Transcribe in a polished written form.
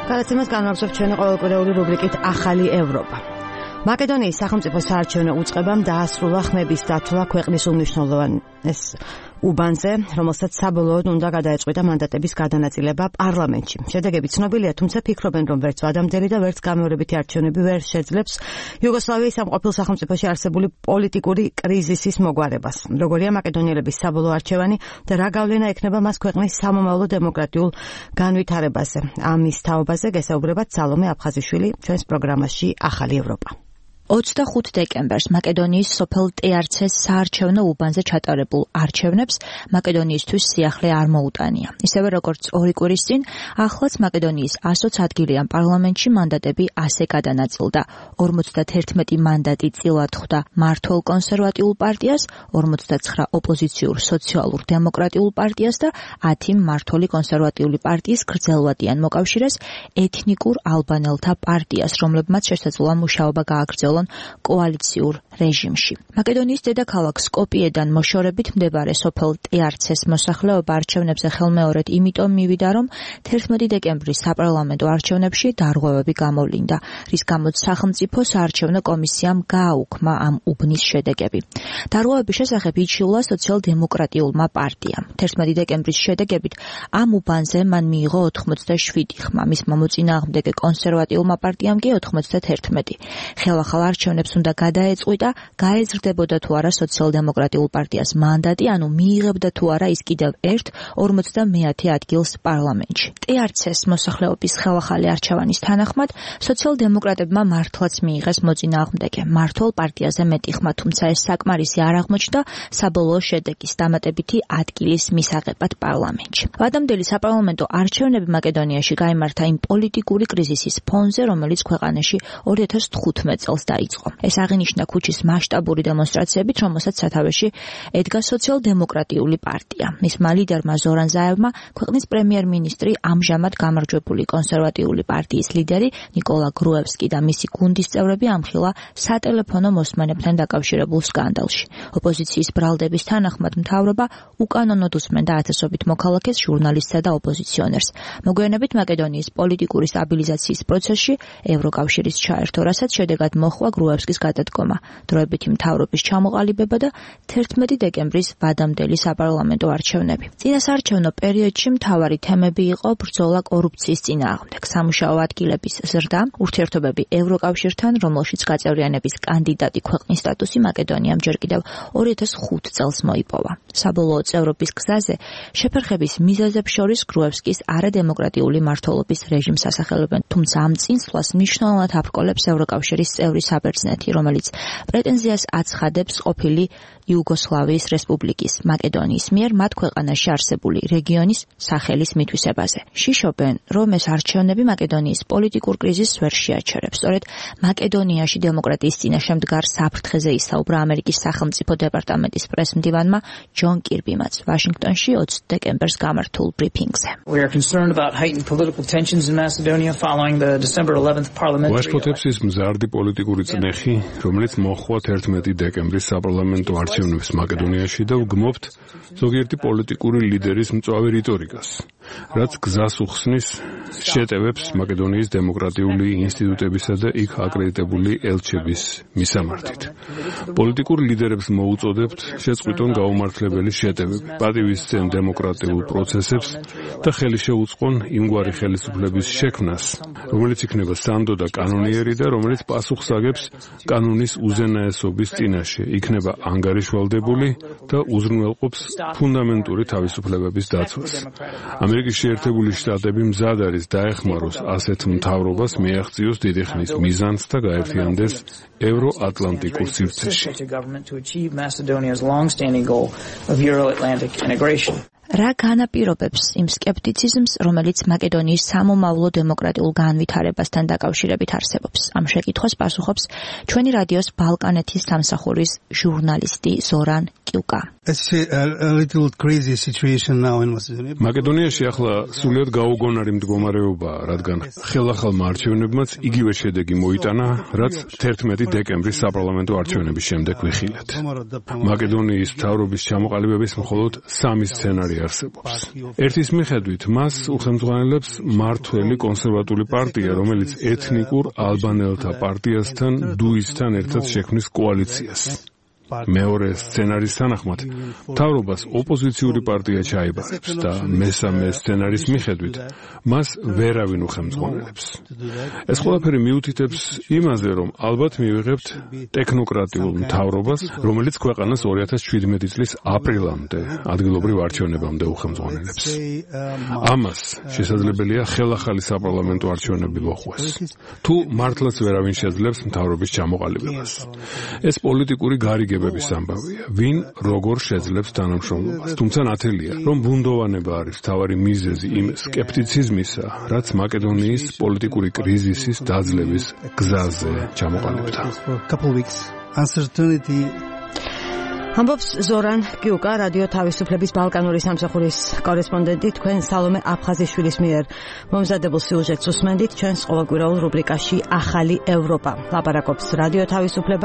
გადაცემას განმავლობთ ჩვენი ყოველკვირეული რუბრიკით ახალი ევროპა. მაკედონიის სახელმწიფო საარჩევნო უწყებამ დაასრულა ხმების დათვლა ქვეყნის უმნიშვნელოვან უბანზე, რომელსაც საბოლოოდ უნდა გადაეწყვიტა მანდატების გადანაწილება პარლამენტში. შედეგები ცნობილია, თუმცა ფიქრობენ, რომ ვერც ვადამდელი და ვერც გამეორებითი არჩევნები ვერ შეძლებს იუგოსლავიის სამყოფილ სახელმწიფოში არსებული პოლიტიკური კრიზისის მოგვარებას. როგორია მაკედონიელების საბოლოო არჩევანი და რა გავლენა ექნება მას ქვეყნის სამომავლო დემოკრატიულ განვითარებაზე. ამის თაობაზე გესაუბრებათ სალომე აფხაზიშვილი ჩვენს პროგრამაში ახალი ევროპა. 25 დეკემბერს მაკედონიის სოფელ ტეარცეს საარჩევნო უბანზე ჩატარებულ არჩევნებს მაკედონიისთვის სიახლე არ მოუტანია. ისევე როგორც ორი კვირის წინ, ახლაც მაკედონიის 120 ადგილიან პარლამენტში მანდატები ასე გადანაწილდა. 51 მანდატი წილად ხვდა მმართველ კონსერვატიულ პარტიას, 49 ოპოზიციურ სოციალურ დემოკრატიულ პარტიას და 10 მმართველი კონსერვატიული პარტიის გრძელვადიან მოკავშირეს ეთნიკურ ალბანელთა პარტიას, რომლებმაც შესაძლოა მუშაობა გააგრძელონ კოალიციურ რეჟიმში. მაკედონიის დედაქალაქ სკოპიედან მოშორებით მდებარე სოფელ ტეარცეს მოსახლეობა არჩევნებზე ხელმეორედ იმიტომ მივიდა, რომ 11 დეკემბრის საპარლამენტო არჩევნებში დარღვევები გამოვლინდა, რის გამოც სახელმწიფო საარჩევნო კომისიამ გააუქმა ამ უბნის შედეგები. დარღვევების შესახებ იჩიულა სოციალ-დემოკრატიულმა პარტიამ. 11 დეკემბრის შედეგებით ამ უბანზე მან მიიღო 87 ხმა, მისმა მოწინააღმდეგე კონსერვატიულმა პარტიამ კი 91. ხელახალ არჩევნებს უნდა გადაეწყვიტა, გაეზრდებოდა თუ არა სოციალ-დემოკრატიულ პარტიას მანდატი, ანუ მიიღებდა თუ არა ის კიდევ ერთ 50 ადგილს პარლამენტში. ტეარცეს მოსახლეობის ხელახალი არჩევანის თანახმად სოციალ-დემოკრატებმა მართლაც მიიღეს მოწინააღმდეგე მმართველ პარტიაზე მეტი ხმა, თუმცა ეს საკმარისი არ აღმოჩნდა საბოლოო შედეგის დამატებითი ადგილის მისაღებად პარლამენტში. ვადამდელი საპარლამენტო არჩევნები მაკედონიაში გაიმართა იმ პოლიტიკური კრიზისის ფონზე, რომელიც ქვეყანაში 2015 წელს დაიწყო. ეს აღინიშნა ქუჩის მასშტაბური დემონსტრაციებით, რომელსაც სათავეში ედგა სოციალ-დემოკრატიული პარტია. მისმა ლიდერმა ზორან ზაევმა ქვეყნის პრემიერ-მინისტრი, ამჟამად გამარჯვებული კონსერვატიული პარტიის ლიდერი ნიკოლა გრუევსკი და მისი გუნდის წევრები ამხილა სატელეფონო მოსმენებთან დაკავშირებულ სკანდალში. ოპოზიციის ბრალდების თანახმად მთავრობა უკანონოდ უსმენდა ათასობით მოქალაქეს, ჟურნალისტსა და ოპოზიციონერს. მოგვიანებით მაკედონიის პოლიტიკური სტაბილიზაციის პროცესში ევროკავშირის ჩაერთო, რასაც შედეგად მოხდა გრუევსკის გადადგომა, დროებითი მთავრობის ჩამოყალიბება და 11 დეკემბრის ვადამდელი საპარლამენტო არჩევნები. წინასაარჩევნო პერიოდში მთავარი თემები იყო ბრძოლა კორუფციის წინააღმდეგ, სამუშაო ადგილების ზრდა, ურთიერთობები ევროკავშირთან, რომელშიც გაწევრიანების კანდიდატი ქვეყნის სტატუსი მაკედონიამ ჯერ კიდევ 2005 წელს მოიპოვა. საბოლოო წევრობის გზაზე შეფერხების მიზეზებს შორის გრუევსკის არადემოკრატიული მმართველობის რეჟიმს ასახელებენ, თუმცა ამ წინსვლას მნიშვნელოვნად აბრკოლებს ევროკავშირის წევრი საბერძნეთი, რომელიც პრეტენზიას აცხადებს ყოფილი იუგოსლავიის რესპუბლიკის მაკედონიის მიერ მათ ქვეყანაში არსებული რეგიონის სახელის მითვისებაზე. შიშობენ, რომ ეს არჩევნები მაკედონიის პოლიტიკურ კრიზისს ვერ შეაჩერებს. სწორედ მაკედონიაში დემოკრატიის წინაშე მდგარ საფრთხეზე ისაუბრა ამერიკის სახელმწიფო დეპარტამენტის პრესმდივანმა ჯონ კირბიმაც ვაშინგტონში 20 დეკემბერს გამართულ ბრიფინგზე. ვაშფოთებს ის მზარდი პოლიტიკური წნეხი, რომელიც მოჰყვა 11 დეკემბრის საპარლამენტო არჩევნებს მაკედონიაში და ვგმობთ ზოგიერთი პოლიტიკური ლიდერის მწვავე რიტორიკას, რაც გზას უხსნის შეტევებს მაკედონიის დემოკრატიული ინსტიტუტებისა და იქ აკრედიტებული ელჩების მისამართით. პოლიტიკურ ლიდერებს მოუწოდებთ შეწყვიტონ გაუმართლებელი შეტევები, პატივისცემ დემოკრატიულ პროცესებს და ხელი შეუწყონ იმგვარი ხელისუფლების შექმნას, რომელიც იქნება სანდო და კანონიერი და რომელიც პასუხს აგებს კანონის უზენაესობის წინაშე, იქნება ანგარიშვალდებული და უზრუნველყოფს ფუნდამენტური თავისუფლებების დაცვას. ამერიკის შეერთებული შტატები მზად არის დაეხმაროს ასეთ მთავრობას, მიაღწიოს დიდი ხნის მიზანს და გაერთიანდეს ევროატლანტიკურ სივრცეში. რა განაპირობებს იმ სკეპტიციზმს, რომელიც მაკედონიის სამომავლო დემოკრატიულ განვითარებასთან დაკავშირებით არსებობს? ამ შეკითხვას პასუხობს ჩვენი რადიოს ბალკანეთის სამსახურის ჟურნალისტი ზორან კიუკა. მაკედონიაში ახლა სულიად გაუგონარი მდგომარეობაა, რადგან ხელახალმა არჩევნებმაც იგივე შედეგი მოიტანა, რაც 11 დეკემბრის საპარლამენტო არჩევნების შემდეგ ვიხილეთ. მაკედონიის მთავრობის ჩამოყალიბების მხოლოდ 3 სცენარი არსებობს. ერთის მიხედვით მას უხელმძღვანელებს მმართველი კონსერვატული პარტია, რომელიც ეთნიკურ ალბანელთა პარტიასთან დუისთან ერთად შექმნის კოალიციას. მეორე სცენარის თანახმად მთავრობას ოპოზიციური პარტია ჩაიბარებს და მესამე სცენარის მიხედვით მას ვერავინ უხელმძღვანელებს. ეს ყველაფერი მიუთითებს იმაზე, რომ ალბათ მივიღებთ ტექნოკრატიულ მთავრობას, რომელიც ქვეყანას 2017 წლის აპრილამდე ადგილობრივ არჩევნებამდე უხელმძღვანელებს. ამას შესაძლებელია ხელახალი საპარლამენტო არჩევნები მოხვდეს. თუ მართლაც ვერავინ შეძლებს მთავრობის ჩამოყალიბებას. ეს პოლიტიკური გარიგება ამბავია, ვინ როგორ შეძლებს თანამშრომლობას. თუმცა ნათელია, რომ ბუნდოვანება არის მთავარი მიზეზი იმ სკეპტიციზმისა, რაც მაკედონიის პოლიტიკური კრიზისის დაძლევის გზაზე ჩამოყალიბდა. ამბობს ზორან კიუკა, რადიო თავისუფლების ბალკანური სამსახურის კორესპონდენტი, თქვენ სალომე აფხაზიშვილის მიერ მომზადებულ სიუჟეტს უსმენდით ჩვენს ყოველკვირეულ რუბრიკაში ახალი ევროპა. ლაპარაკობს რადიო თავისუფლება